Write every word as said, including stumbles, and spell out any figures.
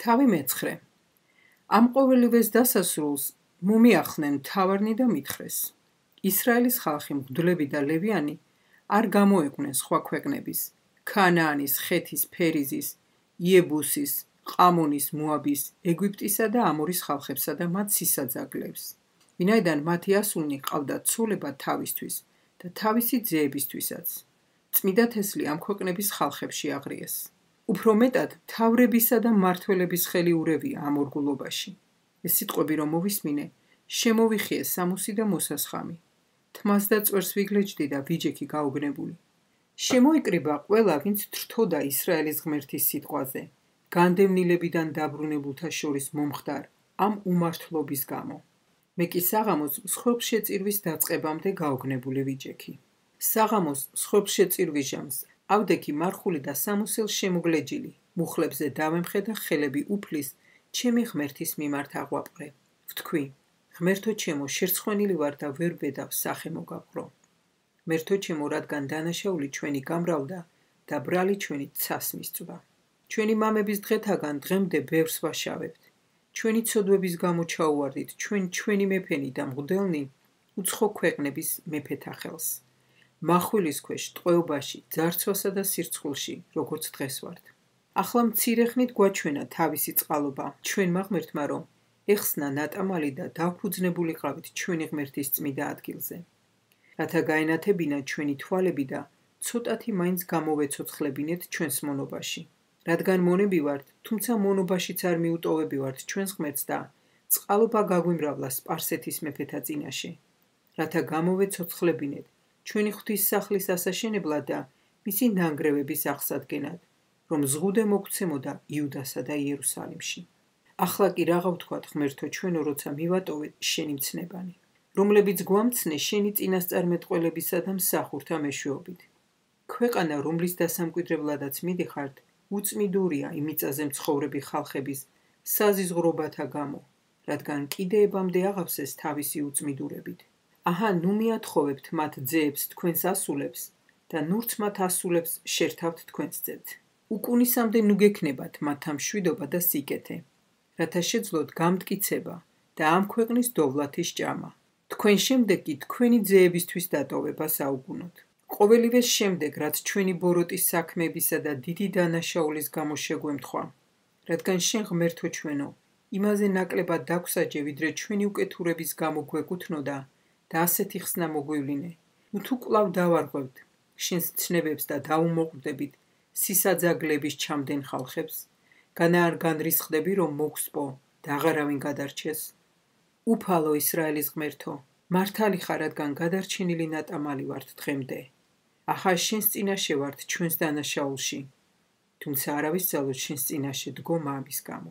თავი მეცხრე. ამ ყოველივეს დასასრულს მომიახდნენ მთავარნი და მითხრეს. ისრაელის ხალხი მღვდლები და ლევიანი არ გამოეყვნენ სხვა ქვეყნების, ქანაანის, ხეთის, ფერიზის, იებუსის, ყამონის, მოაბის, ეგვიპტისა და ამორის ხალხებსა და მათ სისაძაგლებს. ვინაიდან მათი ასულნი ყავდათ ცოლება თავისთვის და თავისი ძეებისთვისაც. წმიდა თესლი ამ ქვეყნების ხალხებში აღრიეს. უფრო მეტად მთავრებისა და მმართველების ხელი ურევია ამ ორგულობაში. ეს სიტყვები რომ მოვისმინე, შემოვიხიე სამუსი და მოსასხამი. თმას და წვერს ვიგლეჯდი და ვიჯექი გაუგნებული. შემოიკრიბა ყველა, ვინც თრთოდა ისრაელის ღმერთის სიტყვაზე, განდევნილებიდან დაბრუნებულთა შორის მომხდარ ამ უმართლობის გამო. მე კი საღამოს მსხვერპლშეწირვის დაწყებამდე გაუგნებული ვიჯექი. საღამოს მსხვერპლშეწირვის ჟამს ავდექი მარხული და სამოსელს შემოგლეჯილი, მუხლებზე დავემხე და ხელები უფლის ჩემი ღმერთის მიმართ აღვაპყრე. ვთქვი, ღმერთო ჩემო, შერცხვენილი ვარ და ვერ ვედავ სახე მოგაყრო. ღმერთო ჩემო, რადგან დანაშაული ჩვენი გამრავლდა და ბრალი ჩვენი ცას მისწვა. ჩვენი მამების დღეთაგან დღემდე ბევრს ვაშავებთ. ჩვენი ცოდვების გამო ჩაუვარდით ჩვენ ჩვენი მეფენი და მღვდელნი უცხო ქვეყნების მეფეთა ხელს. მახვილის ქვეშ, ტყვეობაში, ძარცვასა და სირცხულში, როგორც დღეს ვართ. ახლა მცირე ხნით გვაჩვენა თავისი წყალობა ჩვენმა ღმერთმა, რომ ეხსნა ნატამალი და დავფუძნებულიყავით ჩვენი ღმერთის წმიდა ადგილზე. რათა გაენათებინა ჩვენი თვალები და ცოტათი მაინც გამოვეცოცხლებინეთ ჩვენს მონობაში. რადგან მონები ვართ, თუმცა მონობაშიც არ მიუტოვებივართ ჩვენს ღმერთს და წყალობა გაგვიმრავლა სპარსეთის მეფეთა წინაშე. რათა გამოვეცოცხლებინეთ ჩვენი ღვთისმსახლის ასაშენებლად და მისი ნანგრევების აღსადგენად, რომ ზღუდე მოგცემოდა იუდასა და იერუსალიმში. ახლა კი რაღა ვთქვათ, ღმერთო ჩვენო, როცა მივატოვეთ შენი მცნებანი, რომლებიც გვამცნე შენი წინასწარმეტყველებისა და მსახურთა მეშვეობით. ქვეყანა, რომლის დასამკვიდრებლადაც მიდიხართ, უწმიდურია იმ მიწაზე მცხოვრები ხალხების საზიზღვრობათა გამო, რადგან კიდეებამდე აღავსეს თავისი უწმიდურებით. აჰა, ნუ მიათხოვებთ მათ ძეებს თქვენს ასულებს და ნურც მათ ასულებს შერთავთ თქვენს ძეთ. უკუნისამდე ნუ გექნებათ მათთა მშვიდობა და სიკეთე, რათა შეძლოთ გამტკიცება და ამ ქვეყნის დოვლათის ჭამა. თქვენ შემდეგ კი თქვენი ძეებისთვის დატოვება საუგუნოდ. ყოველივეს შემდეგ, რაც ჩვენი ბოროტის საქმეებისა და დიდი დანაშაულის გამო შეგვემთხვა, რადგან შენ ღმერთო ჩვენო, იმაზე ნაკლებად დაგვსაჯე, ვიდრე ჩვენი უკეთურების გამო გვეკუთვნოდა და ასეთი ხსნა მოგვივლინე. ნუ თუ კვლავ დავარღვევთ შენს ცნებებს და დაუმოყვრდებით სისაძაგლების ჩამდენ ხალხებს, განა არ განრისხდები, რომ მოგსპო და აღარავინ გადარჩეს. უფალო ისრაელის ღმერთო, მართალი ხარ, რადგან გადარჩენილი ნატამალი ვართ დღემდე. ახა შენს წინაშე ვართ ჩვენს დანაშაულში, თუმცა არავის ძალოდ შენს წინაშე დგომა ამის გამო.